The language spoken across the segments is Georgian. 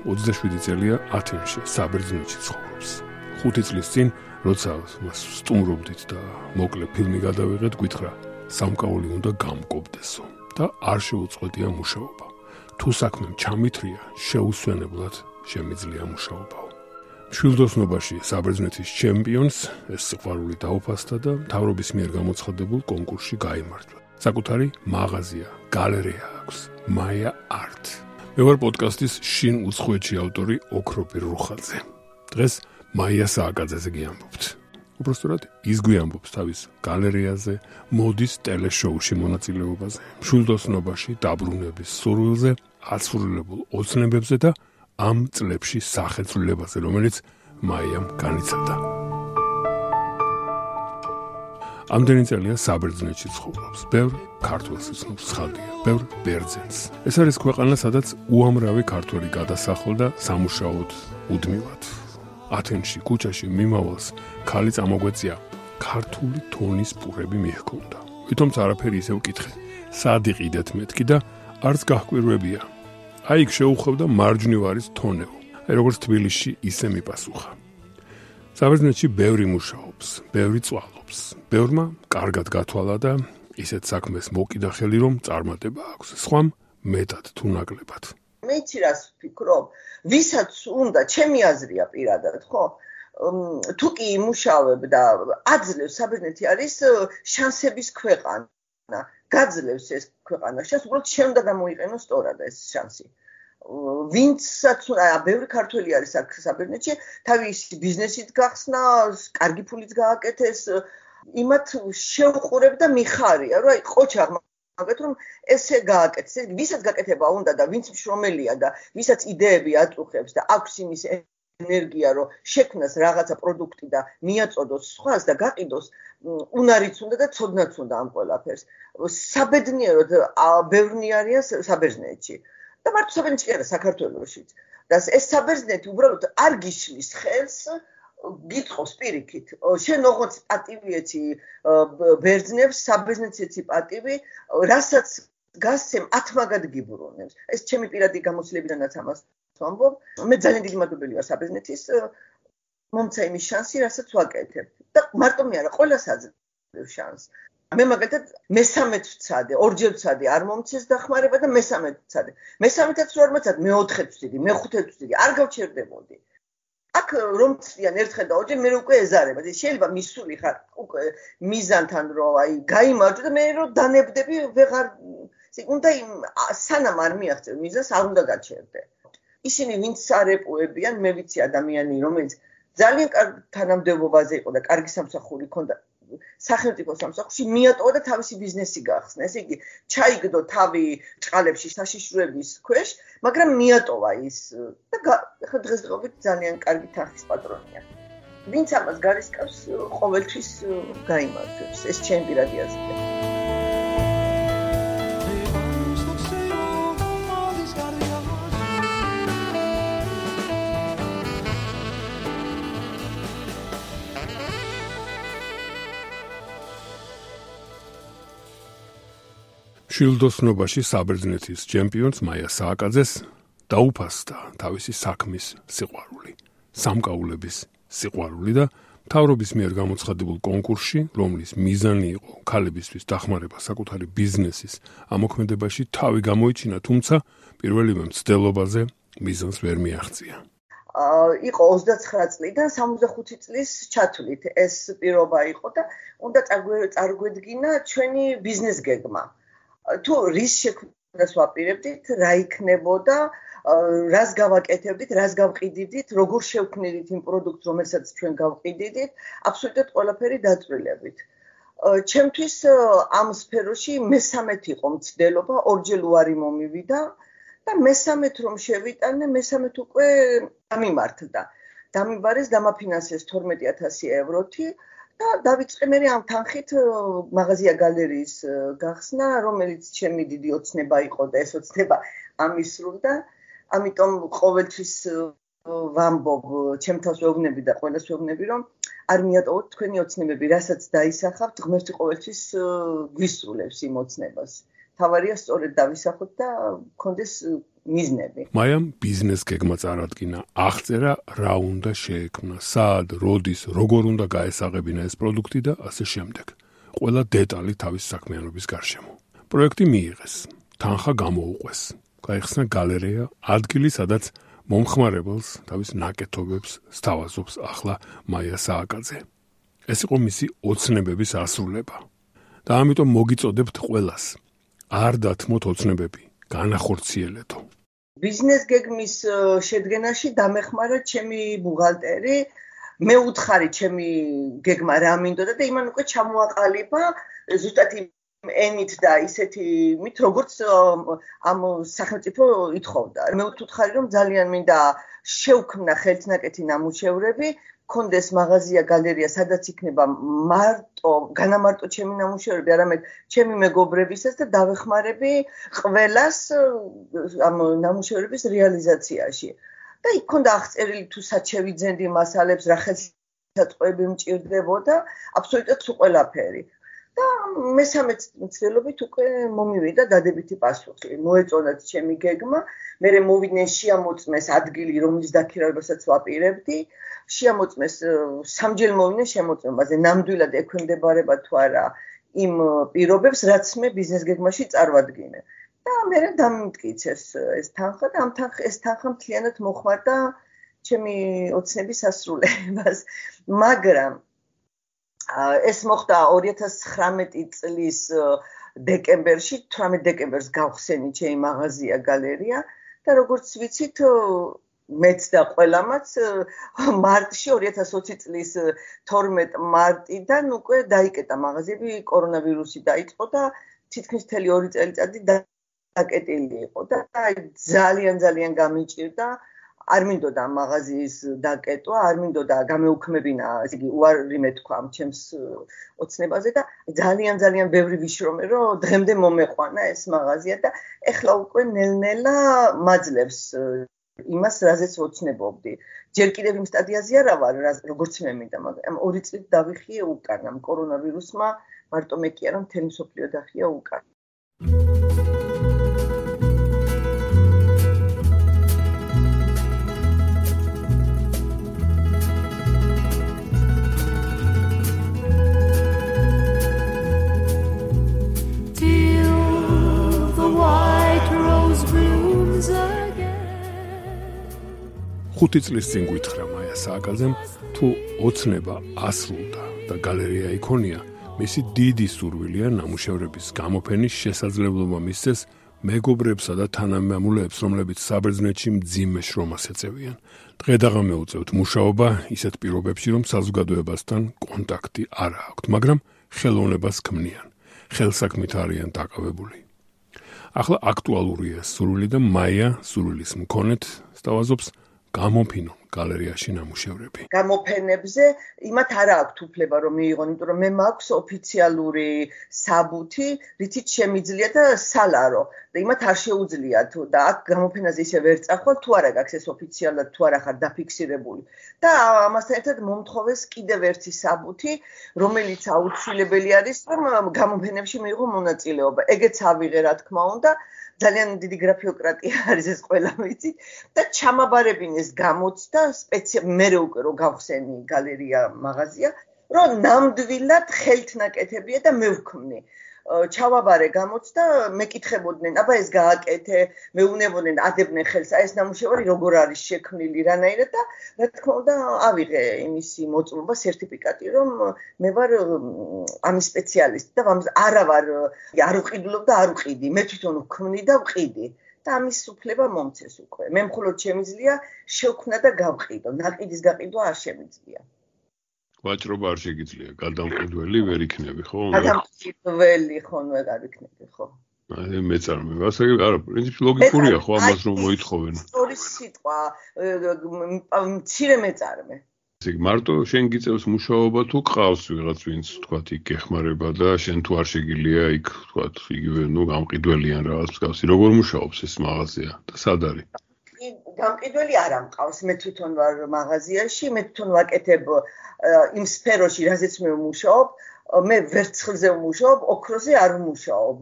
27 წელია ათენში, საბერძნეთში ცხოვრობს. 5 წლის წინ, როცა მას სტუმრობდით და მოკლე ფილმი გადავიღეთ, გითხრა, სამკაული უნდა გამკობდესო და არ შეუწყვეტია მუშაობა. თუ საქმემ ჩამithრია, შეუსვენებლად შემიძლია მუშაობაო. მშვილდოსნობაში საბერძნეთის ჩემპიონს ეს სიყვარული დაუფასდა და მთავრობის მიერ გამოცხადებულ კონკურსში გაიმარჯვა. საკუთარი მაღაზია, გალერეა აქვს, Maya Art. მე ვარ პოდკასტის შინ უცხოეთში ავტორი ოქროპირ რუხაძე. დღეს მაია სააკაძეზე გიამბობთ. უბრალოდ ის გვიამბობს თავის გალერეაზე, მოდის ტელეშოუში მონაწილეობაზე, მშვილდოსნობაში დაბრუნების სურვილზე, აცვლილებულ ოცნებებზე და ამ წლებში სახეცვლილებაზე, რომელიც მაიამ განიცადა. ამდენი წელია საბერძნეთში ცხოვრობს. ბევრ ქართველს იცნობს ცხადია, ბევრ ბერძენს. ეს არის ქვეყანა, სადაც უამრავი ქართველი გადასახლდა სამუშაოდ უდმივად. ათენში, ქუჩაში მიმავალს ქალი წამოგვეწია, ქართული თონის პურები მიჰქონდა. თუმცა არაფერი ისევ კითხე, სად იყიდეთ მეთქი და არც გაჰკვირვებია. აი იქ შეუხვევდა მარჯვნივარის თონეო. როგორც თბილისში ისე მიპასუხა. საბერძნეთში ბევრი მუშაობს, ბევრი წვალობს. ბევრმა კარგად გათვალა და ისეთ საქმეს მოკიდა ხელი, რომ წარმატება აქვს. სხვამ მეტად თუ ნაკლებად. მე იცი რას ვფიქრობ, ვისაც უნდა, ჩემი აზრია პირადად, ხო? თუ კი იმუშავებ და აძლევს, საბერძნეთი არის შანსების ქვეყანა. გაძლევს ეს ქვეყანა შანსს, უბრალოდ შენ უნდა გამოიყენო სწორად ეს შანსი. ვინცაც ბევრი ქართველი არის აქ საბერძნეთში, თავისი ბიზნესით გახსნა, კარგი ფულით გააკეთეს, იმათ შეუყურებ და მიხარია, რომ აი ყოჩაღ მაგათ რომ ესე გააკეთეს, ვისაც გაკეთება უნდა და ვინც მშრომელია და ვისაც იდეები აწუხებს და აქვს იმის ენერგია, რომ შექმნას რაღაცა პროდუქტი და მიაწოდოს სხვას და გაყიდოს, უნარიც უნდა და ცოდნაც უნდა ამ ყველაფერს. საბედნიეროდ ბევრნი არიან საბერძნეთში. და მარტო საბერძნეთში კი არა, საქართველოშიც. და ეს საბერძნეთი უბრალოდ არ გიშლის ხელს, გიტყობს პირიქით. შენ ოღონდ პატივიეთი ბერძნებს, საბერძნეთში პატივი, რასაც გასცემ 10 მაგად გიბრუნებს. ეს ჩემი პირადი გამოცდილებიდანაც ამას ვამბობ. მე ძალიან დიდი მადლობელი ვარ საბერძნეთის, მომცა იმის შანსი, რასაც ვაკეთებ. და მარტო მე არა, ყველას აძლევს შანსს. მე მაგალითად მესამედ ვცადე, ორჯერ ვცადე, არ მომცეს დახმარება და მესამედ ვცადე. მესამედაც რო არ მოცადე, მეოთხედ ვცდიდი, მეხუთედ ვცდიდი, არ გავჩერდებოდი. აქ რომ ვცდიან ერთხელ და ორჯერ, მე უკვე ეზარება. შეიძლება მისული ხარ უკვე მიზანთან, რომ აი გაიმარჯვე და მე რო დანებდები, ვეღარ უნდა სანამ არ მიაღწევ მიზანს, არ უნდა გაჩერდე. ისინი ვინც არეპუებიან, მე ვიცი ადამიანი, რომელიც ძალიან კარგ თანამდებობაზე იყო და კარგი სამსახური ჰქონდა სახელმწიფო სამსახურში, მიატოვა და თავისი ბიზნესი გახსნა. ესე იგი, ჩაიგდო თავი ჭყალებში საშიშროების ქვეშ, მაგრამ მიატოვა ის და ხა დღესდღეობით ძალიან კარგი თანხის პატრონია. ვინც ამას გარისკავს, ყოველთვის გაიმარჯვებს. ეს ჩემი პირადი აზრია. მშვილდოსნობაში საბერძნეთის ჩემპიონს მაია სააკაძეს დაუფასდა თავისი საქმის სიყვარული, სამკაულების სიყვარული და მთავრობის მიერ გამოცხადებულ კონკურსში, რომლის მიზანი იყო ქალებისთვის დახმარება საკუთარი ბიზნესის ამოქმედებაში, თავი გამოიჩინა, თუმცა პირველივე მცდელობაზე მიზანს ვერ მიაღწია. იყო 29 წლიდან 65 წლის ჩათვლით ეს პირობა იყო და უნდა წარგვედგინა ჩვენი ბიზნეს გეგმა. თუ რის შექმნას ვაპირებდით, რა იქნებოდა, რას გავაკეთებდით, რას გავყიდიდით, როგორ შევქმნიდით იმ პროდუქტს, რომელსაც ჩვენ გავყიდიდით, აბსოლუტურად ყველაფერი დაწვრილებით. ჩემთვის ამ სფეროში მესამედ იყო მცდელობა, ორჯერ უარი მომივიდა და მესამედ რომ შევიტანე, მესამედ უკვე დამიმართდა. დამიბარეს, დამაფინანსეს 12,000 ევროთი. და დავიწყე მე ამ თანხით მაღაზია გალერეის გახსნა, რომელიც ჩემი დიდი ოცნება იყო და ეს ოცნება ამისრულდა. ამიტომ ყოველთვის ვამბობ, ჩემთავს ვეუბნები და ყველას ვეუბნები, რომ არ მიატოვოთ თქვენი ოცნებები, რასაც დაისახავთ, ღმერთი ყოველთვის გვისრულებს იმ ოცნებას. თავარია სწორედ დავისახოთ და გქონდეს მიზნები. მაიამ ბიზნეს გეგმა წარადგინა, აღწერა რა უნდა შეექმნა, სად, როდის, როგორ უნდა გაესაღებინა ეს პროდუქტი და ასე შემდეგ. ყველა დეტალი თავის საქმიანობის გარშემო. პროექტი მიიღეს, თანხა გამოუყვეს, გაიხსნა გალერეა, ადგილი, სადაც მომხმარებელს თავის ნაკეთობებს სთავაზობს ახლა მაია სააკაძე. ეს იყო მისი ოცნებების ასრულება. და ამიტომ მოგიწოდებთ ყველას. არ დათმოთ ოცნებები, განახორციელეთო. ბიზნეს გეგმის შედგენაში დამეხმარა ჩემი ბუღალტერი, მე უთხარი ჩემი გეგმა რა მინდოდა და იმან უკვე ჩამოაყალიბა ზუსტად ენით და ისეთი მით როგორც ამ სახელმწიფო ითხოვდა. მე ვუთხარი რომ ძალიან მინდა შევქმნა ხელთნაკეთი ნამუშევრები, კონდეს მაღაზია გალერეა, სადაც იქნება განამარტო ჩემი ნამუშევრები, არამედ ჩემი მეგობრებისაც და დავეხმარები ყველას ამ ნამუშევრების რეალიზაციაში. და იქ ქონდა აღწერილი თუ სად შევიძენდი მასალებს, რა ხელსაწყოები მჭირდებოდა, აბსოლუტურად ყველაფერი. და მესამე მცდელობით უკვე მომივიდა დადებითი პასუხი. მოეწონათ ჩემი გეგმა, მე მოვიდნენ შეამოწმეს ადგილი, რომლის დაქირავებასაც ვაპირებდი. შეამოწმეს სამჯერ მოვიდნენ შემოწმებაზე, ნამდვილად ექვემდებარება თუ არა იმ პირობებს, რაც მე ბიზნეს გეგმაში წარვადგინე. და მე დამიმტკიცეს ეს თანხა და ეს თანხა მთლიანად მოხმარდა ჩემი ოცნების ასრულებას. მაგრამ ეს მოხდა 2019 წლის დეკემბერში, 18 დეკემბერს გავხსენი ჩემი მაღაზია გალერეა და როგორც ვიცით, მეც და ყველამაც მარტში 2020 წლის 12 მარტიდან უკვე დაიკეტა მაღაზიები, კორონავირუსი დაიწყო და თითქმის მთელი 2 წელიწადი დაკეტილი იყო და ძალიან გამიჭირდა. არ მინდოდა მაღაზიის დაკეტვა, არ მინდოდა გამეუქმებინა, ესე იგი უარი მეთქვა ამ ჩემს ოცნებაზე და ძალიან ბევრი ვიშრომე, რომ დღემდე მომეყვანა ეს მაღაზია და ეხლა უკვე ნელ-ნელა მაძლევს იმას, რაზეც ვოცნებობდი. ჯერ კიდევ იმ სტადიაზე არა ვარ, როგორც მე მინდა, მაგრამ 2 წლით დავიხიე უკან ამ კორონავირუსმა, მარტო მე კი არა, მთელი მსოფლიო დახია უკან. ხუთი წლის წინ გითხრა მაია სააკაძემ, თუ ოცნება ასრულდა და გალერეა იქონია, მისი დიდი სურვილია ნამუშევრების გამოფენის შესაძლებლობა მისცეს მეგობრებსა და თანამემამულეებს, რომლებიც საბერძნეთში მძიმე შრომას ეწევიან. დღე-დაღამე უწევთ მუშაობა ისეთ პირობებში, რომ საზოგადოებასთან კონტაქტი არ აქვთ, მაგრამ ხელოვნებას ქმნიან, ხელსაქმით არიან დაკავებული. ახლა აქტუალურია სურვილი და მაია სურვილის მქონეთ სთავაზობს გამოფინონ გალერეაში ნამუშევრები. გამოფენებზე იმათ არა აქვთ უფლება რომ მიიღონ, იმიტომ რომ მე მაქვს ოფიციალური საბუთი, რითიც შემიძლია და სალარო და იმათ არ შეუძლიათ და აქ გამოფენაზე ისე ვერ წახვალ, თუ არა გაქვს ეს ოფიციალურად, თუ არა ხარ დაფიქსირებული. და ამასთან ერთად მომთხოვეს კიდევ ერთი საბუთი, რომელიც აუცილებელი არის, რომ გამოფენებში მიიღო მონაწილეობა. ეგეც ავიღე, რა თქმა უნდა. ძალიან დიდი გრაფიოკრატია არის ეს ყველა ვიცი და ჩამაბარებინეს გამოცდა მე უკვე რომ გავხსენი გალერეა მაღაზია რომ ნამდვილად ხელთნაკეთებია და მე ვქმნი ჩავაბარე გამოცდა მეკითხებოდნენ აბა ეს გააკეთე მეუნებოდნენ ადებდნენ ხელს ეს ნამუშევარი როგორ არის შექმნილი რანაირად და რა თქმა უნდა ავიღე იმისი მოწმობა სერტიფიკატი რომ მე ვარ ამის სპეციალისტი და არა ვარ არ ვყიდულობ და არ ვყიდი მე თვითონ ვქმნი და ვყიდი და ამის უფლება მომცეს უკვე მე მხოლოდ შემიძლია შევქმნა და გავყიდო ნაყიდის გაყიდვა არ შემიძლია ვაჭრობა არ შეგიძლია, გადამყიდველი ვერ იქნები, ხო? გადამყიდველი ხომ ვერ იქნები, ხო? აი მეწარმე, ასე არა, პრინციპი ლოგიკურია, ხო, ამას რომ მოითხოვენ. სწორი სიტყვა, მცირე მეწარმე. ესე იგი, მარტო შენ გიწევს მუშაობა თუ ყავს ვიღაც, ვინც თქვათ იქ გეხმარება და შენ თუ არ შეგიძლია იქ თქვათ, იგივე, გამყიდველიან რაღაც მსგავსი. როგორ მუშაობს ეს მაღაზია და სად არის? გამყიდველი არ ამყავს, მე თვითონ ვარ მაღაზიაში, მე თვითონ ვაკეთებ იმ სფეროში, რაზეც მე ვმუშაობ, მე ვერცხლზე ვმუშაობ, ოქროზე არ ვმუშაობ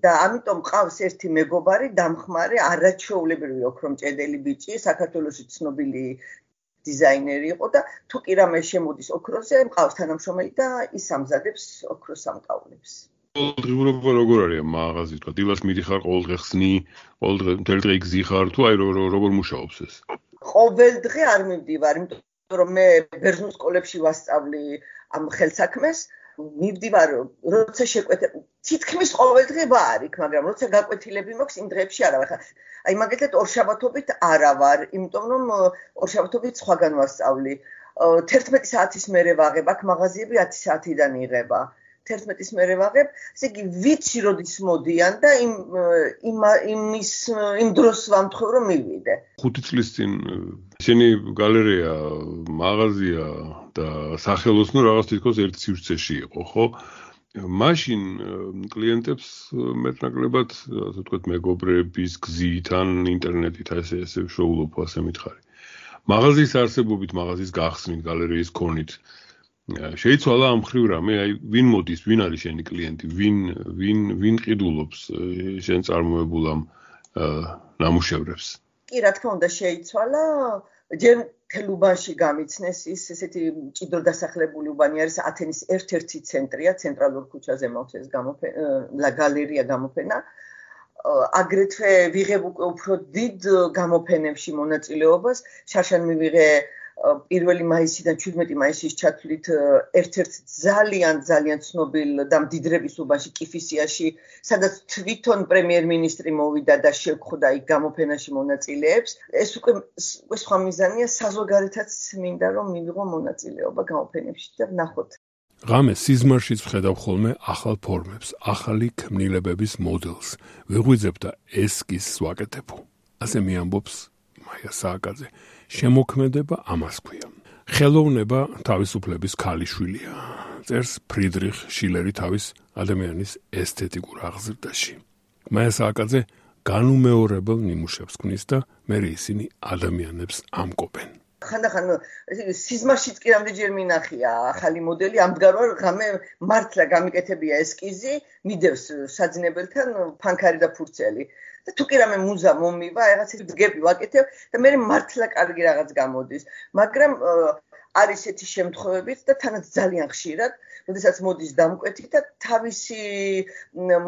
და ამიტომ ყავს ერთი მეგობარი, დამხმარე, არაჩვეულებრივი ოქრომჭედელი ბიჭი, საქართველოში ცნობილი დიზაინერი იყო და თუ კი რამე შემოდის ოქროზე, მყავს თანამშრომელი და ის ამზადებს ოქროს სამკაულებს. ყოველდღიურობა როგორ არის მაღაზი, თქვა, დილას მიდიხარ, ყოველდღე ხსნი, ყოველდღე მთელი დღე იგზიხარ, თუ აი როგორ მუშაობს ეს? ყოველდღე არ მივდივარ, იმიტომ რომ მე ბერძნულ სკოლებში ვასწავლი ამ ხელსაქმეს, მივდივარ, როცა შეკვეთებ, თითქმის ყოველდღე ვარ იქ, მაგრამ როცა გაკვეთილები მაქვს, იმ დღეებში არა ვარ. აი მაგალითად ორშაბათობით არა ვარ, იმიტომ რომ ორშაბათობით სხვაგან ვასწავლი. 11 საათის მერე ვაღებ, აქ მაღაზიები 10 საათიდან იღება. 11-ის მერე ვაღებ, ესე იგი ვიცი როდის მოდიან და იმ დროს ვამთხოვ რომ მივიდე. 5 წლის წინ შენი გალერეა, მაღაზია და სახელოსნო რაღაც თითქოს ერთ სივრცეში იყო, ხო? მაშინ კლიენტებს მეტნაკლებად, ასე ვთქვათ, მეგობრების გზით ან ინტერნეტით ესე შოულობ, ასე მითხარი. მაღაზიის არსებობით, მაღაზიის გახსნით, გალერეის ქონით შეიცვალა ამ მხრივ რამე, აი ვინ მოდის, ვინ არის შენი კლიენტი, ვინ ყიდულობს შენ წარმოებულ ამ ნამუშევრებს? კი, რა თქმა უნდა, შეიცვალა. ჯერ მთელ უბანში გამიცნეს ის ესეთი მჭიდრო დასახლებული უბანი არის ათენის ერთ-ერთი ცენტრია, ცენტრალურ ქუჩაზე მაქვს ეს გალერეა გამოფენა. აგრეთვე ვიღებ უფრო დიდ გამოფენებში მონაწილეობას, შარშან მივიღე 1 მაისიდან 17 მაისის ჩათვლით ერთ-ერთ ძალიან ცნობილ და მდიდრების უბანში კიფისიაში, სადაც თვითონ პრემიერ-მინისტრი მოვიდა და შევხვდა იქ გამოფენაში მონაწილეებს. ეს უკვე სხვა მიზანია, საზოგადოებაც მინდა რომ მივიღო მონაწილეობა გამოფენებში და ვნახოთ. ღამე სიზმარშიც ვხედავ ხოლმე ახალ ფორმებს, ახალი ქმნილებების მოდელს. ვიღვიძებ და ესკიზს ვაკეთებ. ასე მიამბობს მაია სააკაძე. შემოქმედება ამას ქვია. ხელოვნება თავისუფლების ქალიშვილია. წერს ფრიდრიხ შილერი თავის ადამიანის ესთეტიკურ აღზრდაში. მაია სააკაძე განუმეორებელ ნიმუშებს ქმნის და მერე ისინი ადამიანებს ამკობენ. ხანდახან სიზმარშიც კი რამდენჯერ მინახია ახალი მოდელი, ამდგარ ღამე მართლა გამიკეთებია ესკიზი, მიდევს საძინებელთან ფანქარი და ფურცელი. და თუ კი რამე მუზა მომივა, რაღაც დგები ვაკეთებ და მე მართლა კარგი რაღაც გამოდის. მაგრამ არის ესეთი შემთხვევებიც და თანაც ძალიან ხშირად, როდესაც მოდის დამკვეთი და თავისი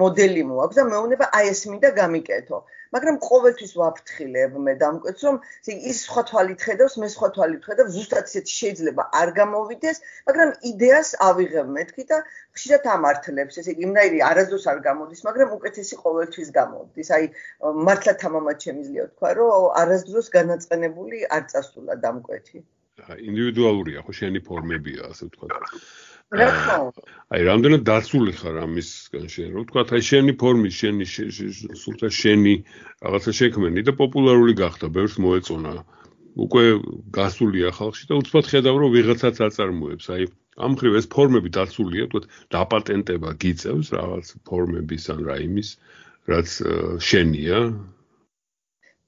მოდელი მოაქვს და მეუბნება აი ეს მინდა გამიკეთო. მაგრამ ყოველთვის ვაფრთხილებ მე დამკვეთს, რომ ის სხვა თვალით ხედავს, მე სხვა თვალით ხედავ, ზუსტად ისეთი შეიძლება არ გამოვიდეს, მაგრამ იდეას ავიღებ მეთქი და ხშირად ამართლებს. ესე იგი, იმნაირი არასდროს არ გამოდის, მაგრამ უკეთესი ყოველთვის გამოდის. აი, მართლა თამამად შემიძლია თქვა, რომ არასდროს განაწყენებული არ წასულა დამკვეთი. ინდივიდუალურია, ხო, შენი ფორმებია, ასე ვთქვა. რა თქმა უნდა. აი, რამდენად დაცული ხარ ამისგან შენ, რო ვთქვა, აი შენი ფორმის, სულთა შენი რაღაცა შექმენი და პოპულარული გახდა, ბევრს მოეწონა. უკვე გასულია ხალხში და უცბად ხედავ, რომ ვიღაცაც აწარმოებს. აი, ამ მხრივ ეს ფორმები დაცულია, ვთქვათ, დაპატენტება გიწევს რაღაც ფორმების ან რა იმის, რაც შენია.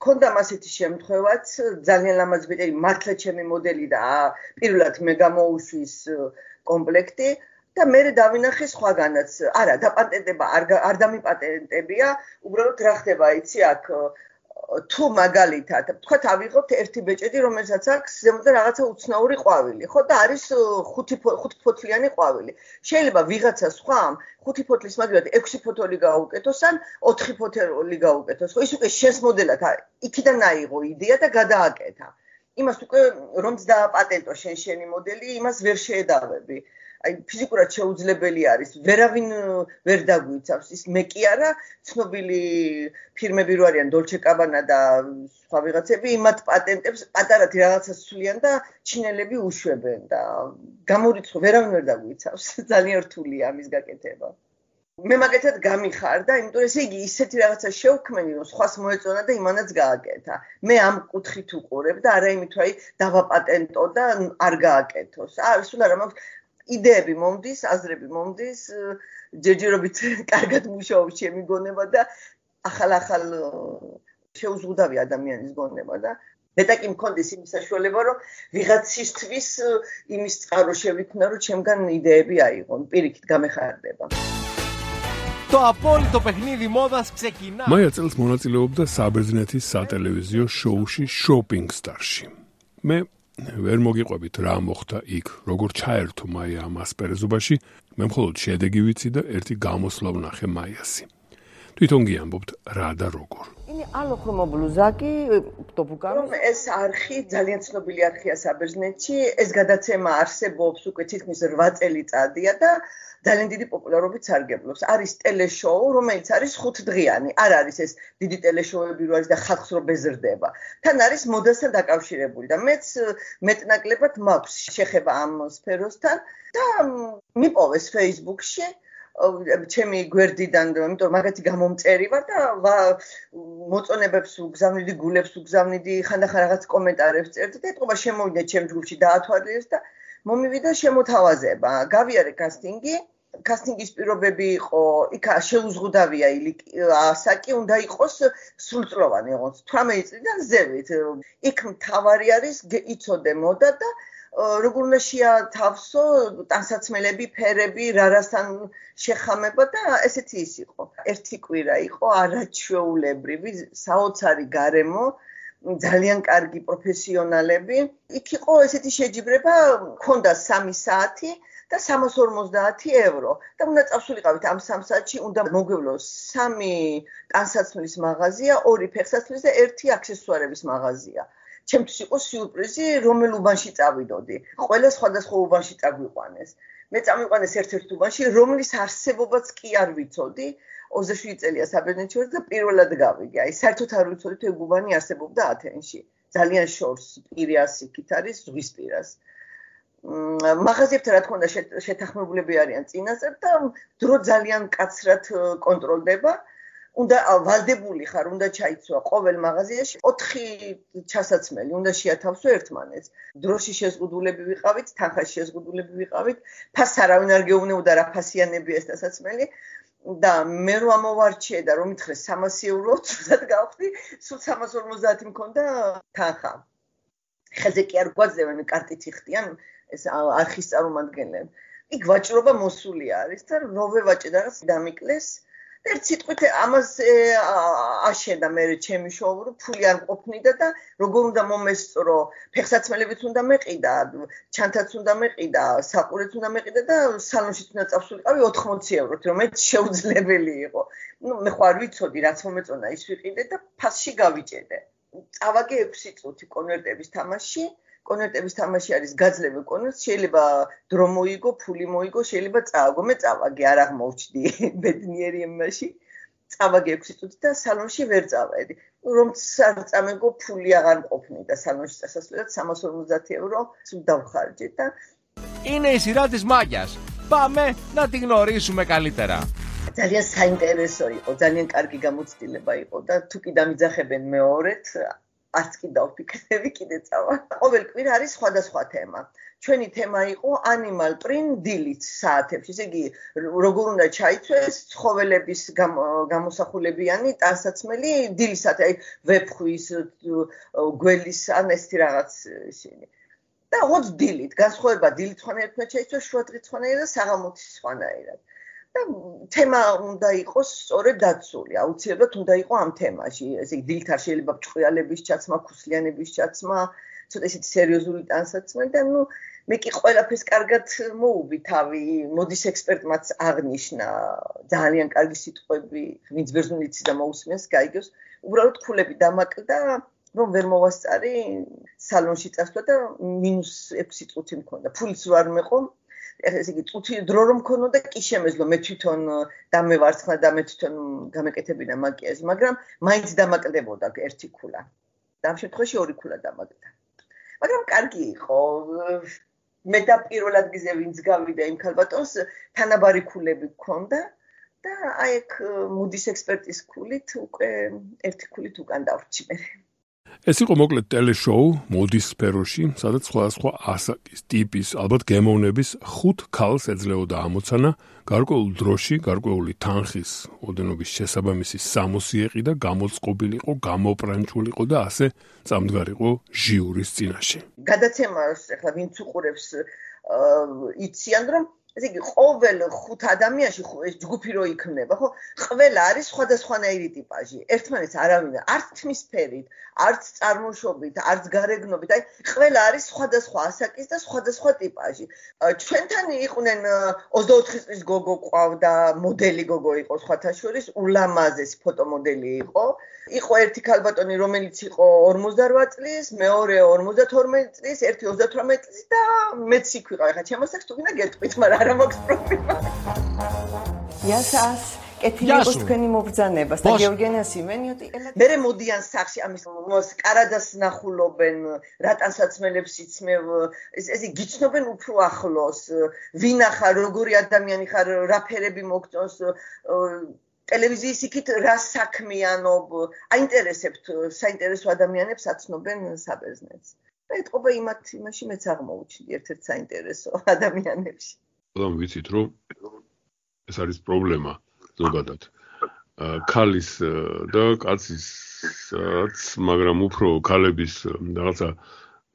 ქონდა ასეთი შემთხვევაც, ძალიან ლამაზ ბიტერი, მართლა ჩემი მოდელი და პირველად მე გამოუშვის კომპლექტი და მე დავინახე სხვაგანაც. არა, დაპატენტება არ დამიპატენტებია, უბრალოდ რა ხდება, იცი, აქ თუ მაგალითად, თქვათ ავიღოთ ერთი ბეჭედი, რომელსაც აქვს ზემოდან რაღაცა უცნაური ყვავილი, ხო და არის 5 ფოთლიანი ყვავილი. შეიძლება ვიღაცა სხვამ 5 ფოთლის მაგალითად 6 ფოთოლი გაუკეთოს ან 4 ფოთოლი გაუკეთოს. ხო, ის უკვე შენს მოდელად იქიდან აიღო იდეა და გადააკეთა. იმას უკვე რომც დააპატენტო შენი მოდელი, იმას ვერ შეედავები. აი ფიზიკურად შეუძლებელი არის, ვერავინ ვერ დაგვიცავს. ის მე კი არა, ცნობილი ფირმები რო არიან Dolce & Gabbana და სხვა ვიღაცები, იმათ პატენტებს პატარათი რაღაცას ცვლიან და ჩინელები უშვებენ და გამორიცხო ვერავინ ვერ დაგვიცავს. ძალიან რთულია ამის გაკეთება. მე მაგათად გამიხარდა, იმიტომ რომ ესე იგი ისეთი რაღაცა შევქმენი, რომ სხვას მოეწონა და იმანაც გააკეთა. მე ამ კუთხით უყურებ და არა იმით, რომ აი დავაპატენტო და არ გააკეთოს. სულ არა მაქვს იდეები მომდის, აზრები მომდის, ჯერჯერობით კარგად მუშაობს ჩემი გონება და ახალ შეუზღუდავი ადამიანის გონება და მეტა კი მქონდეს იმის საშუალება, რომ ვიღაცისთვის იმის წყარო შევიქნა, რომ ჩემგან იდეები აიღონ, პირიქით გამეხარდება. Το απόλυτο παιχνίδι μόδας ξεκινά. მაია წელს მონაწილეობდა საბერძნეთის სატელევიზიო შოუში Shopping Star-ში. მე ვერ მოგიყვებით რა მოხდა იქ, როგორ ჩაერთო მაია ამ ასპერეზობაში, მე მხოლოდ შედეგი ვიცი და ერთი გამოსვლა ვნახე მაიასი. თვითონ გიამბობთ რა და როგორ. Είναι άλλο χρωμομπλουζάκι, το που κάνω. ეს არხი ძალიან ცნობილი არხია საბერძნეთში, ეს გადაცემა არსებობს უკვე თითქმის 8 წელიწადია და ძალიან დიდი პოპულარობით სარგებლობს. არის ტელეშოუ, რომელიც არის 5 დღიანი. არ არის ეს დიდი ტელეშოუები რო არის და ხალხს რო ბეზრდება. თან არის მოდასთან დაკავშირებული და მეც მეტნაკლებად მაქვს შეხება ამ სფეროსთან და მიპოვეს Facebook-ში ჩემი გვერდიდან, იმიტომ რომ მაგათი გამომწერი ვარ და მოწონებებს უგზავნიდი, გულებს უგზავნიდი, ხანდახან რაღაც კომენტარებს წერდი და ეთყობა შემოვიდა ჩემ ჯგუფში დაათვალიერეს და მომივიდა შემოთავაზება. გავიარე კასტინგი. კასტინგის პირობები იყო, იქ შეუზღუდავია ასაკი, უნდა იყოს სრულწლოვანი, იყოს 18 წლიდან ზევით. იქ მთავარი არის იცოდე მოდა და როგორ უნდა შეათავსო ტანსაცმელები, ფერები, რასთან შეხამება და ესეთი ის იყო. ერთი კვირა იყო არაჩვეულებრივი, საოცარი გარემო, ძალიან კარგი პროფესიონალები. იქ იყო ესეთი შეჯიბრება, მქონდა 3 საათი და 350 евро. და უნდა წავსულიყავით ამ 3 საათში, უნდა მოგვევლოს 3 ტანსაცმლის მაღაზია, 2 ფეხსაცმლის და 1 აქსესუარების მაღაზია. ჩემთვის იყო სიურპრიზი, რომელ უბანში წავიდოდი. ყველა სხვადასხვა უბანში წაგვიყვანეს. მე წამიყვანეს ერთ-ერთ უბანში, რომლის არსებობაც კი არ ვიცოდი. 27 წელია საბერძნეთში ვარ და პირველად გავიგე. აი, საერთოდ არ ვიცოდი თუ ეგ უბანი არსებობდა ათენში. ძალიან შორს პირას იქით არის ზღვის პირას. მაღაზიებთან რა თქმა უნდა შეთანხმებულები არიან წინასწარ და დრო ძალიან მკაცრად კონტროლდება. უნდა ვალდებული ხარ, უნდა ჩაიცვა ყოველ მაღაზიაში 4 ჩასაცმელი, უნდა შეათავსო ერთმანეთს. დროში შეზღუდულები ვიყავით, თანხაში შეზღუდულები ვიყავით, ფასს არავინ არ გეუბნებოდა რა ფასიანებია ეს დასაცმელი და მე რო ამოვარჩიე და რომ მითხრეს 300 евро, ცუდად გავხდი, სულ 350 მქონდა თანხა. ხელზე კი არ გვაძლევენ, კარტით იხდიან ეს არხის წარმომადგენლები. იქ ვაჭრობა მოსული არის და რო ვევაჭე და რაღაც დამიკლეს. ერთ სიტყვით ამას აშენდა მე ჩემი შოუ, რომ ფული არ ყოფნიდა და როგორ უნდა მომესწრო, ფეხსაცმელებიც უნდა მეყიდა, ჩანთაც უნდა მეყიდა, საყურეც უნდა მეყიდა და სალონშიც უნდა წავსულიყავი 80 ევროთ, რომელიც შეუძლებელი იყო. მე ხო არ ვიცოდი, რაც მომეწონა ის ვიყიდე და ფასში გავიჭედე. წავაგე 6 წუთი კონვერტების თამაში. კონვერტების თამაში არის გაძლევი კონვერტს, შეიძლება დრო მოიგო, ფული მოიგო, შეიძლება წააგო. მე წავაგე, არ აღმოჩდი ბედნიერი იმაში. წავაგე 6 წუთი და სალონში ვერ წავედი. რომც არ წამეგო, ფული აღარ მყოფნიდა სალონში წასასვლელად 350 евро სულ დავხარჯე და Είναι η σειρά της Μάγιας. Πάμε να τη γνωρίσουμε καλύτερα. ძალიან საინტერესო იყო, ძალიან კარგი გამოცდილება იყო და თუ კი დამიძახებენ მეორედ არც კი დავფიქრები, კიდე წავა. ყოველ კვირა არის სხვადასხვა თემა. ჩვენი თემა იყო animal print დილით საათებში. ესე იგი, როგორ უნდა ჩაიცვეს ცხოველების გამოსახულებიანი ტანსაცმელი დილის საათი, აი ვეფხვის, გველის ან ესეთი რაღაც ისინი. და ოც დილით, განსხვავება დილით სხვანაირად უნდა ჩაიცვეს, შუადღით სხვანაირად და საღამოთი სხვანაირად. და თემა უნდა იყოს სწორედ დაცული, აუცილებლად უნდა იყო ამ თემაში. ესე იგი, დილით არ შეიძლება ჭყიალების ჩაცმა, ქუსლიანების ჩაცმა, ცოტა ისეთი სერიოზული ტანსაცმელი და მე კი ყველაფერს კარგად მოუვი თავი, მოდის ექსპერტმაც აღნიშნა, ძალიან კარგი სიტყვები, ვინც ბერძნული იცის და მოусმენს, გაიგოს. უბრალოდ ქულები დამაკლდა, რომ ვერ მოვასწარი სალონში წასვლა და -6 წუთი მქონდა. ფულიც რო არ მეყო, ესე იგი წუთი დრო რომ მქონოდა კი შემეძლო მე თვითონ დამევარცხნა და მე თვითონ გამეკეთებინა მაკიაჟი, მაგრამ მაინც დამაკლდებოდა ერთი ქულა. და ამ შემთხვევაში 2 ქულა დამაკლდა. მაგრამ კარგი იყო. მე და პირველ ადგილზე ვინც გავიდა იმ ქალბატონს, თანაბარი ქულები გქონდა და აი ეგ მოდის ექსპერტის ქულით უკვე ერთი ქულით უკან დავრჩი მე. ეს იყო მოკლედ ტელეშოუ მოდის სფეროში, სადაც სხვადასხვა ასაკის, ტიპის, ალბათ გემოვნების 5 ქალს ეძლეოდა ამოცანა, გარკვეულ დროში, გარკვეული თანხის ოდენობის შესაბამისი სამოსი ეყი და გამოწყობილიყო, გამოპრანჭულიყო და ასე წამდგარიყო ჟიურის წინაშე. გადაცემას ახლა ვინც უყურებს იციან რომ ესე იგი ყოველ 5 ადამიანში ეს ჯგუფი რო იქმნება, ხო? ყველა არის სხვადასხვანაირი ტიპაჟი. ერთმანეთს არავინ არც თმის ფერით, არც წარმოშობით, არც გარეგნობით, აი ყველა არის სხვადასხვა ასაკის და სხვადასხვა ტიპაჟი. ჩვენთან იყვნენ 24 წლის გოგო ყავდა, მოდელი გოგო იყო სხვათა შორის, ულამაზესი ფოტომოდელი იყო. იყო ერთი ქალბატონი, რომელიც იყო 58 წლის, მეორე 52 წლის, ერთი 38 წლის და მეც იქ ვიყავ. ახლა ჩემოსახს თუ გინდა გეტყვით, მაგრამ არა მაქვს პრობლემა. იასას კეთილი იყოს თქვენი მობრძანებას და გეორგენას იმენიოტი ელად. მერე მოდიან სახში ამის კარადას ნახულობენ, რატანსაცმელებს იცმევ, ესე გიცნობენ უფრო ახლოს, ვინ ახარ, როგორი ადამიანი ხარ, რა ფერები მოგწონს, ტელევიზიის იქით რა საქმიანობ, აინტერესებთ საინტერესო ადამიანებს აცნობენ საბერძნეთს. და ეთყობა იმაში მეც აღმოუჩნდი ერთ-ერთ საინტერესო ადამიანებში. რომ ვიცით რომ ეს არის პრობლემა ზოგადად. ქალის და კაცისაც, მაგრამ უფრო ქალების რაღაცა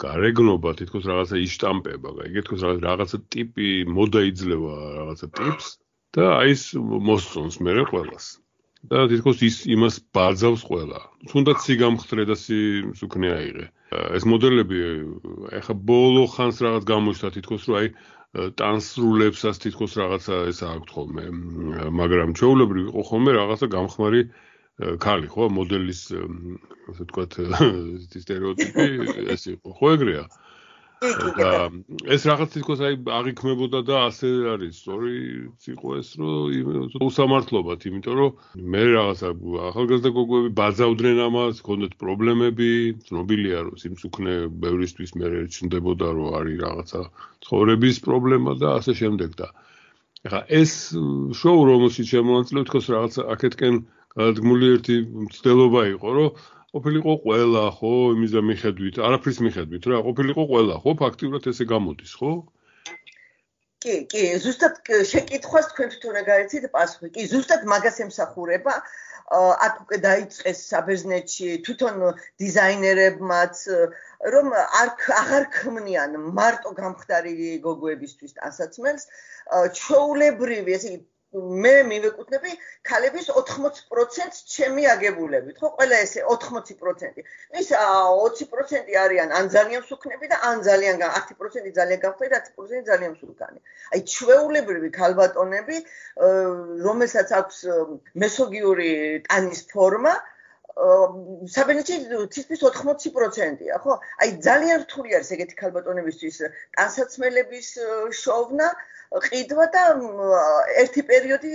გარეგნობა თითქოს რაღაცა იშტამპება, იგი თითქოს რაღაცა ტიპი მოდა იძლევა რაღაცა ტიპს და აი ეს მოსწონს მერე ყველას. და თითქოს ის იმას ბაძავს ყველა. თუნდაც სიგამხდრე და სუქნე აიღე. ეს მოდელები ეხა ბოლო ხანს რაღაც გამოჩნდა თითქოს რომ აი ტანსრულებსაც თითქოს რაღაცა ეს აქვს ხოლმე, მაგრამ ჩვეულებრივ იყო ხოლმე რაღაცა გამხმარი ქალი, ხო, მოდელის ასე ვთქვათ სტერეოტიპი ეს იყო, ხო ეგრეა. და ეს რაღაც თითქოს აი აღიქმებოდა და ასე არის, სწორი იყო ეს, რომ უსამართლობად, იმიტომ რომ მე რაღაცა ახალგაზრდა გოგოები ბაძავდნენ ამას, ჰქონდათ პრობლემები, ცნობილია რომ სიმსუქნე ბევრისთვის მე ჩნდებოდა რომ არის რაღაცა ცხოვრების პრობლემა და ასე შემდეგ და ეხლა ეს შოუ რომელშიც შემოვანწილე თქოს რაღაცა აქეთკენ გადადგმული ერთი მცდელობა იყო რომ ყოფილიყო ყველა, ხო, იმის და მიხედვით, არაფრის მიხედვით, რა, ყოფილიყო ყველა, ხო, ფაქტიურად ესე გამოდის, ხო? კი, ზუსტად შეკითხვას თქვენ თვითონ გაიცით პასუხი. კი, ზუსტად მაგას ემსახურება. აქ უკვე დაიწყეს საბერძნეთში თვითონ დიზაინერებმაც, რომ აღარ ქმნიან მარტო გამხდარი გოგოებისთვის ტანსაცმელს, ჩვეულებრივი, ესე იგი მე მივეკუთვნები ქალების 80%-ს ჩემი აგებულებით, ხო, ყველა ესე 80%. ის 20% არიან ან ძალიან სუქნები და ან ძალიან 10% ძალიან გამხდარი, 10% ძალიან სულკანი. აი ჩვეულებრივი ქალბატონები, რომელსაც აქვს მესოგიური ტანის ფორმა, საბერძნეთში თითქმის 80%-ია, ხო? აი ძალიან რთული არის ეგეთი ქალბატონებისთვის ტანსაცმელების შოვნა, ყიდვა და ერთი პერიოდი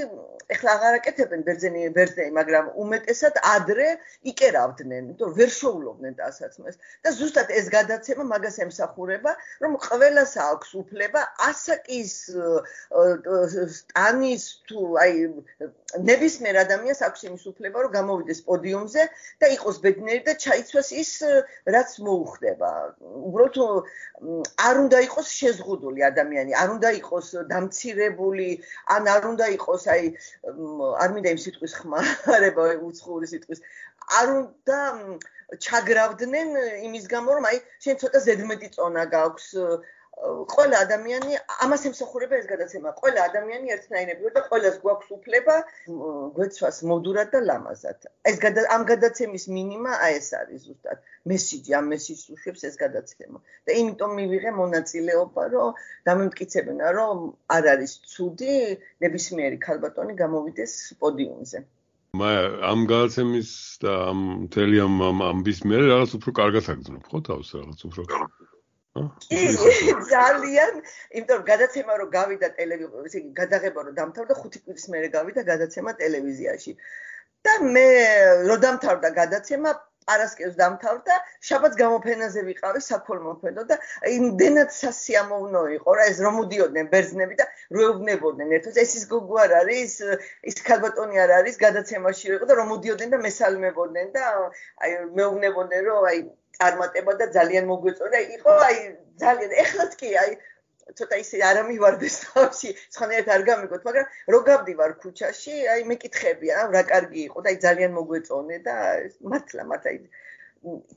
ეხლა აღარ აკეთებენ ბერძნები, მაგრამ უმეტესად ადრე იკერავდნენ, იმიტომ ვერ შოულობდნენ ტანსაცმელს. და ზუსტად ეს გადაცემა მაგას ემსახურება, რომ ყველას აქვს უფლება ასაკის ტანის თუ აი ნებისმიერ ადამიანს აქვს იმის უფლება, რომ გამოვიდეს პოდიუმზე და იყოს ბედნიერი და ჩაიცვას ის, რაც მოუხდება. უბრალოდ არ უნდა იყოს შეზღუდული ადამიანი, არ უნდა იყოს დამცირებული, ან არ უნდა იყოს აი არ მინდა იმ სიტყვის ხმარება, უცხოური სიტყვის, არ უნდა ჩაგრავდნენ იმის გამო, რომ აი შენ ცოტა ზედმეტი წონა გაქვს. ყველა ადამიანი ამას ემსახურება ეს გადაცემა. ყველა ადამიანი ერთნაირები და ყველას გვაქვს უფლება გვეცვას მოდურად და ლამაზად. ამ გადაცემის მინიმა აი ეს არის ზუსტად. მესიჯი, ამ მესიჯს უშვებს ეს გადაცემა. და იმიტომ მივიღე მონაწილეობა, რომ დამემტკიცებინა, რომ არ არის ცუდი ნებისმიერი ქალბატონი გამოვიდეს პოდიუმზე. ამ გადაცემის და ამ მთელი ამბის მერე რაღაც უფრო კარგად აგრძნობ, ხო თავს რაღაც უფრო ძალიან, იმიტომ რომ გადაცემა რომ გავიდა ტელევიზიაში, გადაღება რომ დამთავრდა 5 კვირის მერე გავიდა გადაცემა ტელევიზიაში. და მე რომ დამთავრდა გადაცემა, პარასკევს დამთავრდა, შაბათს გამოფენაზე ვიყავი, საქველმოფენო და იმდენად სასიამოვნო იყო რა ეს რომ მოდიოდნენ ბერძნები და როეუბნებოდნენ ერთად ეს ის გოგო არ არის, ის ქალბატონი არ არის, გადაცემაში იყო და რომ მოდიოდნენ და მესალმებოდნენ და აი მეუბნებოდნენ რომ აი წარმატება და ძალიან მოგვეწონა, იყო აი ძალიან ეხლაც კი აი ცოტა ისე არ ამივარდეს თავში, სხვანაირად არ გამიგოთ, მაგრამ რო გავდივარ ქუჩაში, აი მეკითხები, რა კარგი იყო და აი ძალიან მოგვეწონე და მართლა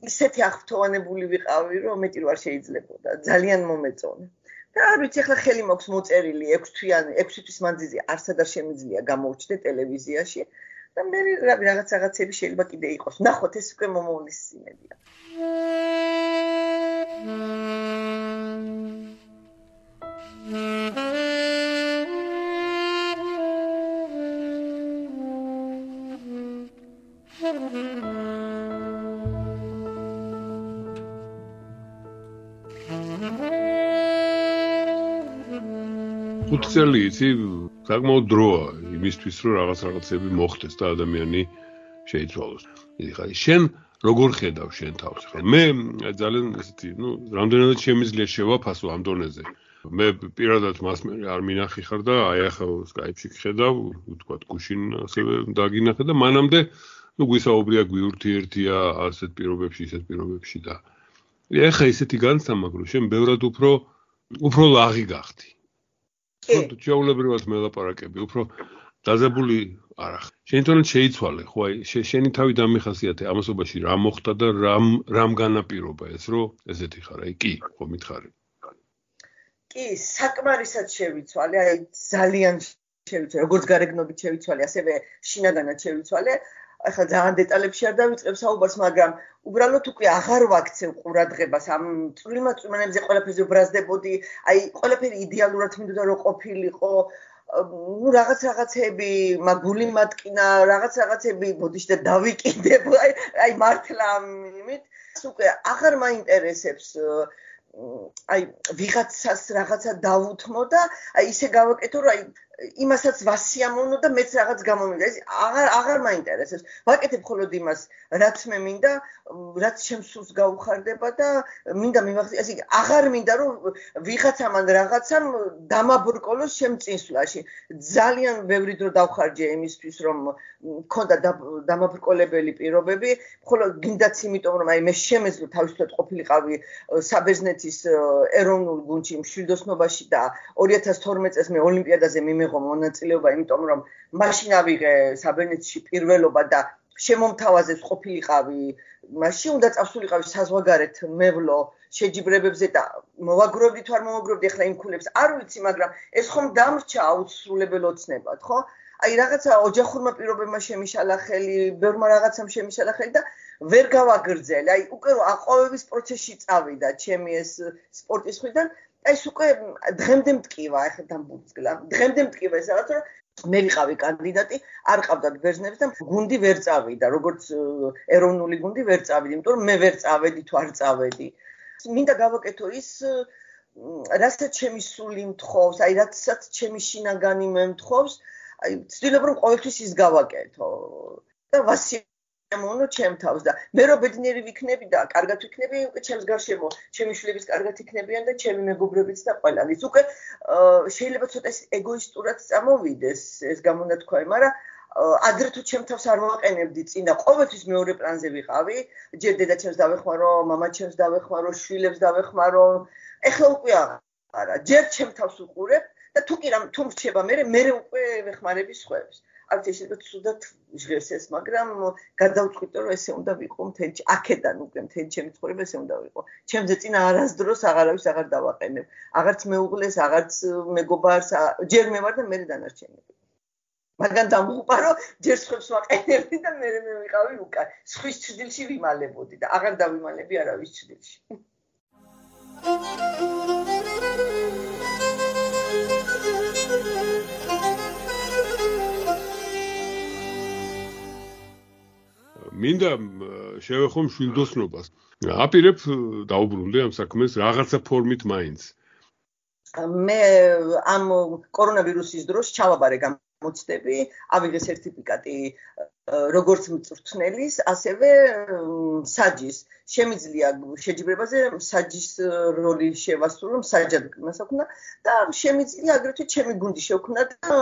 ისეთი აღფრთოვანებული ვიყავი, რომ მეტი არ შეიძლებოდა, ძალიან მომეწონე. და არ ვიცი, ახლა ხელი მაქვს მოწერილი 6 თვის მანძილზე არსად არ შემიძლია გამოვჩდე ტელევიზიაში და მე რაღაცები შეიძლება კიდე იყოს. ნახოთ, ეს უკვე მომავლის სიმედია. ხუთწელი იცი საკმაოდ დროა იმისთვის რომ რაღაცები მოხდეს და ადამიანი შეიცვალოს. ეხლა შენ როგორ ხედავ შენ თავს? მე ძალიან ესეთი, რამდენადაც შემიძლია შევაფასო ამ დონეზე. მე პირადად მას არ მინახი ხარ და აი ახლა Skype-ში ხედავ, ვთქვათ, გუშინ ასევე დაგინახე და მანამდე გვისაუბრია გვიურთიერთია ასეთ პირობებში, ისეთ პირობებში და ეხლა ისეთი განსამაგრო, შენ ბევრად უფრო ლაღი გახდი. ჩვეულებრივად მელაპარაკები, უფრო დაძაბული არ ახ. შენ თვითონ შეიცვალე, ხო აი შენი თავი დამიხასიათე ამასობაში რა მოხდა და რამ განაპირობა ეს, რომ ესეთი ხარ, აი კი, ხო მითხარი. კი, საკმარისად შევიცვალე, აი ძალიან შევიცვალე, როგორც გარეგნობით შევიცვალე, ასევე შინაგანად შევიცვალე. ახლა ძალიან დეტალებში არ დავიწყებ საუბარს, მაგრამ უბრალოდ უკვე აღარ ვაქცევ ყურადღებას ამ წვრილმაწვიმანებზე ყველაფერზე ვბრაზდებოდი, აი ყველაფერი იდეალურად მინდოდა რომ ყოფილიყო, რაღაცები მაგული მატკინა, რაღაცები ბოდიში და დავიკიდებ, აი მართლა ამით უკვე აღარ მაინტერესებს აი ვიღაცას რაღაცა დავუთმო და აი ისე გავაკეთო რომ აი იმასაც ვასიამოვნო და მეც რაღაც გამომიგდა. ეს აღარ მაინტერესებს. ვაკეთებ მხოლოდ იმას, რაც მე მინდა, რაც ჩემს სულს გაუხარდება და მინდა მივახცე. ესე იგი, აღარ მინდა რომ ვიღაცამ ან რაღაცამ დამაბრკოლოს ჩემ წინსვლაში. ძალიან ბევრი დრო დავხარჯე იმისთვის, რომ მქონდა დამაბრკოლებელი პირობები, მხოლოდ გინდაც იმიტომ, რომ აი მე შემეძლო თავისუფლად ყოფილიყავი საბერძნეთის ეროვნულ გუნდში მშვიდოსნობაში და 2012 წელს მე ოლიმპიადაზე მონაწილეობა, იმიტომ რომ მაშინ ავიღე საბერძნეთში პირველობა და შემომთავაზებს ყოფილიყავი, მაშინ უნდა წავსულიყავი საზღვარგარეთ მევლო შეჯიბრებებზე და მოვაგროვდი თუ არ მოვაგროვდი ახლა იმ ქულებს არ ვიცი, მაგრამ ეს ხომ დამრჩა აუცილებლად ოცნებად, ხო? აი რაღაცა ოჯახურმა პირობებმა შემიშალა ხელი, ბევრმა რაღაცამ შემიშალა ხელი და ვერ გავაგრძელე. აი უკვე რომ აყვავების პროცესში წავიდა ჩემი ეს სპორტის ხვიდან ეს უკვე დღემდე მტკივა, ახლა დამბურძგლა. დღემდე მტკივა ეს რაღაც რომ მე ვიყავი კანდიდატი, არ ყავდათ ბერძნებს და გუნდი ვერ წავიდა, როგორც ეროვნული გუნდი ვერ წავიდა, იმიტომ რომ მე ვერ წავედი თუ არ წავედი. მინდა გავაკეთო ის, რასაც ჩემი სული მთხოვს, აი რასაც ჩემი შინაგანი მე მთხოვს, აი ვცდილობ რომ ყოველთვის ის გავაკეთო. და ამონო ჩემ თავს და მე რო ბედნიერი ვიქნები და კარგად ვიქნები, უკვე ჩემს გარშემო ჩემი შვილებიც კარგად იქნებიან და ჩემი მეგობრებიც და ყველანიც. უკვე შეიძლება ცოტა ეგოისტურად წამოვიდეს ეს გამონათქვამი, მაგრამ ადრე თუ ჩემ თავს არ ვაყენებდი წინა, ყოველთვის მეორე პლანზე ვიყავი, ჯერ დედაჩემს დავეხმარო, მამაჩემს დავეხმარო, შვილებს დავეხმარო. ეხლა უკვე არა, ჯერ ჩემ თავს უყურებ და თუ მრჩება მე უკვე ვეხმარები სხვებს. არ ვიცი, შეიძლება ცუდად ჟღერს ეს, მაგრამ გადავწყვიტე რომ ესე უნდა ვიყო მთელი აქედან უკვე მთელი ჩემი ცხოვრება ესე უნდა ვიყო. ჩემზე წინა არასდროს აღარავის აღარ დავაყენებ. აღარც მეუღლეს, აღარც მეგობარს, ჯერ მე ვარ და მე დანარჩენები. მაგრამ დამღუპა რომ ჯერ სხვებს ვაყენებდი და მე ვიყავი უკან. სხვის ჭრილში ვიმალებოდი და აღარ დავიმალები არავის ჭრილში. მინდა შევეხო მშვიდოსნობას. აპირებ დაუბრუნდე ამ საქმეს რაღაცა ფორმით მაინც. მე ამ კორონავირუსის დროს ჩავაბარე გამოცდები, ავიღე სერტიფიკატი როგორც მწვრთნელის, ასევე საჯის. შემიძლია შეჯიბრებაზე საჯის როლი შევასრულო, მსაჯად მასაკუნა და შემიძლია აგრეთვე ჩემი გუნდი შევქმნა და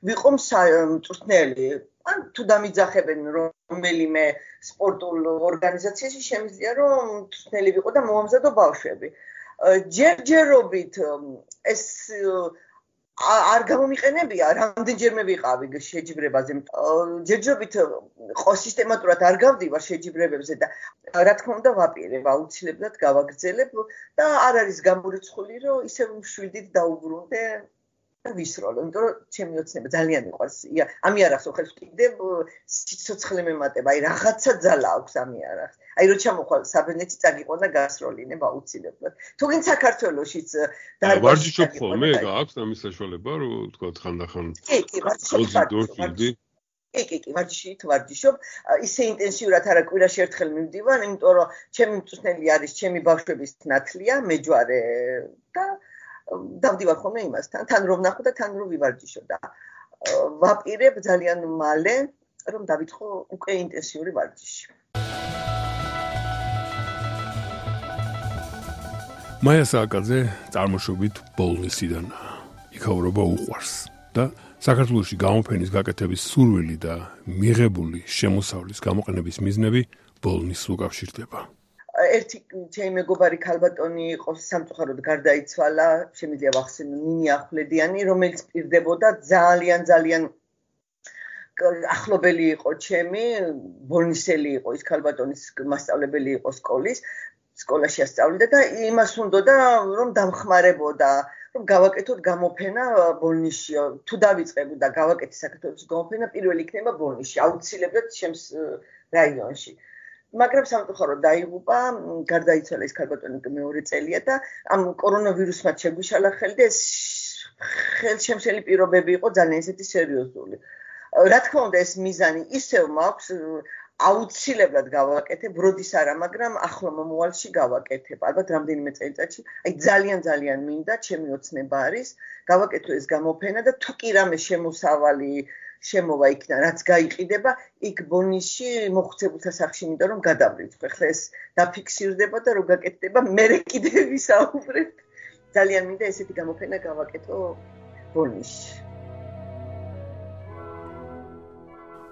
ვიყო მწვრთნელი. ან თუ დამიძახებენ რომელიმე სპორტულ ორგანიზაციაში შემიძლია რომ მწვრთნელი ვიყო და მოამზადო ბავშვები. ჯერჯერობით ეს არ გამომიყენებია, რამდენჯერმე ვიყავი შეჯიბრებაზე. ჯერჯერობით სისტემატურად არ გავდივარ შეჯიბრებებზე და რა თქმა უნდა ვაპირებ, აუცილებლად გავაგრძელებ და არ არის გამორიცხული, რომ ისევ მშვიდით დაუბრუნდე და ვისროლო, იმიტომ რომ ჩემი ოცნება ძალიან მიყვარს. ამიარახს ხელს ვკიდებ, სიცოცხლე მემატება, აი რაღაცა ძალა აქვს ამიარახს. აი რო ჩამოხვალ საბერძნეთში წაგიყო და გასროლინებ აუცილებლად. თუგინ საქართველოშიც ვარჯიშობ ხოლმე, გააქვს ამის საშუალება, რომ თქვა ხანდახან კი, ვარჯიშობ. ისე ინტენსიურად არა კვირაში ერთხელ მივდივარ, იმიტომ რომ ჩემი მწვრთნელი არის ჩემი ბავშვების ნათლია, მეჯვარე და დავდივარ ხოლმე იმასთან, თან რომ ვნახო და თან რომ ვივარჯიშო და ვაპირებ ძალიან მალე, რომ დავითხოვ უკვე ინტენსიური ვარჯიში. მაია სააკაძე წარმოშობით ბოლნისიდანაა. იქაურობა უყვარს და საქართველოში გამოფენის გაკეთების სურვილი და მიღებული შემოსავლის გამოყენების მიზნები ბოლნის უკავშირდება. ერთი ჩემი მეგობარი ქალბატონი იყო სამწუხაროდ გარდაიცვალა, შემიძლია ვახსენო ნინი ახვლედიანი, რომელიც პირდებოდა ძალიან ახლობელი იყო ჩემი, ბოლნისელი იყო ის ქალბატონის მასწავლებელი იყო სკოლაში ასწავლიდა და იმას უნდოდა რომ დამხმარებოდა, რომ გავაკეთოთ გამოფენა ბოლნისში. თუ დავიწყებ და გავაკეთე საქართველოს გამოფენა, პირველი იქნება ბოლნისში, აუცილებლად ჩემს რაიონში. მაგრამ სამწუხაროდ დაიღუპა, გარდაიცვალა ის ქალბატონი მეორე წელია და ამ კორონავირუსმა შეგვიშალა ხელი და ეს ხელშემშელი პირობები იყო ძალიან ისეთი სერიოზული. რა თქმა უნდა ეს მიზანი ისევ მაქვს, აუცილებლად გავაკეთებ, როდის არა, მაგრამ ახლო მომავალში გავაკეთებ. ალბათ რამდენიმე წელიწადში, აი ძალიან მინდა, ჩემი ოცნება არის, გავაკეთო ეს გამოფენა და თუ კი რამე შემოსავალი შემოვა იქიდან, რაც გაიყიდება, იქ ბოლნისში მოხუცებულთა სახლში მინდა რომ გადავრიცხო. ხლა ეს დაფიქსირდება და რო გაკეთდება, მერე კიდევ ვისაუბრებ. ძალიან მინდა ესეთი გამოფენა გავაკეთო ბოლნისში.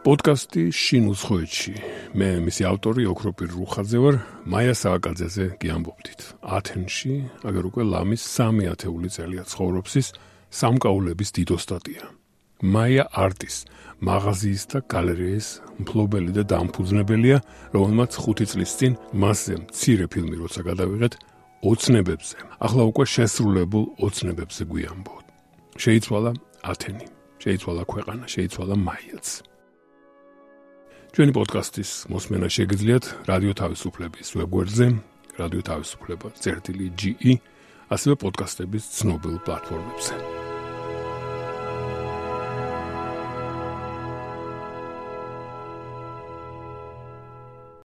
პოდკასტი შინ უცხოეთში. მე მისი ავტორი ოქროპირ რუხაძე ვარ, მაია სააკაძეზე გიამბობდით. ათენში, აგერ უკვე ლამის 3 ათეული წელია ცხოვრობს ის სამკაულების დიდო სტატია. მაია არტის, მაღაზიის და გალერეის მფლობელი და დამფუძნებელია, რომელმაც 5 წლის წინ მასზე მცირე ფილმი როცა გადავიღეთ ოცნებებზე. ახლა უკვე შესრულებულ ოცნებებზე გვიამბობთ. შეიცვალა ათენი, შეიცვალა ქვეყანა, შეიცვალა მაიაც. ჩვენი პოდკასტის მოსმენა შეგიძლიათ რადიო თავისუფლების ვებგვერდზე, რადიო თავისუფლება.ge, ასევე პოდკასტების ცნობილ პლატფორმებზე.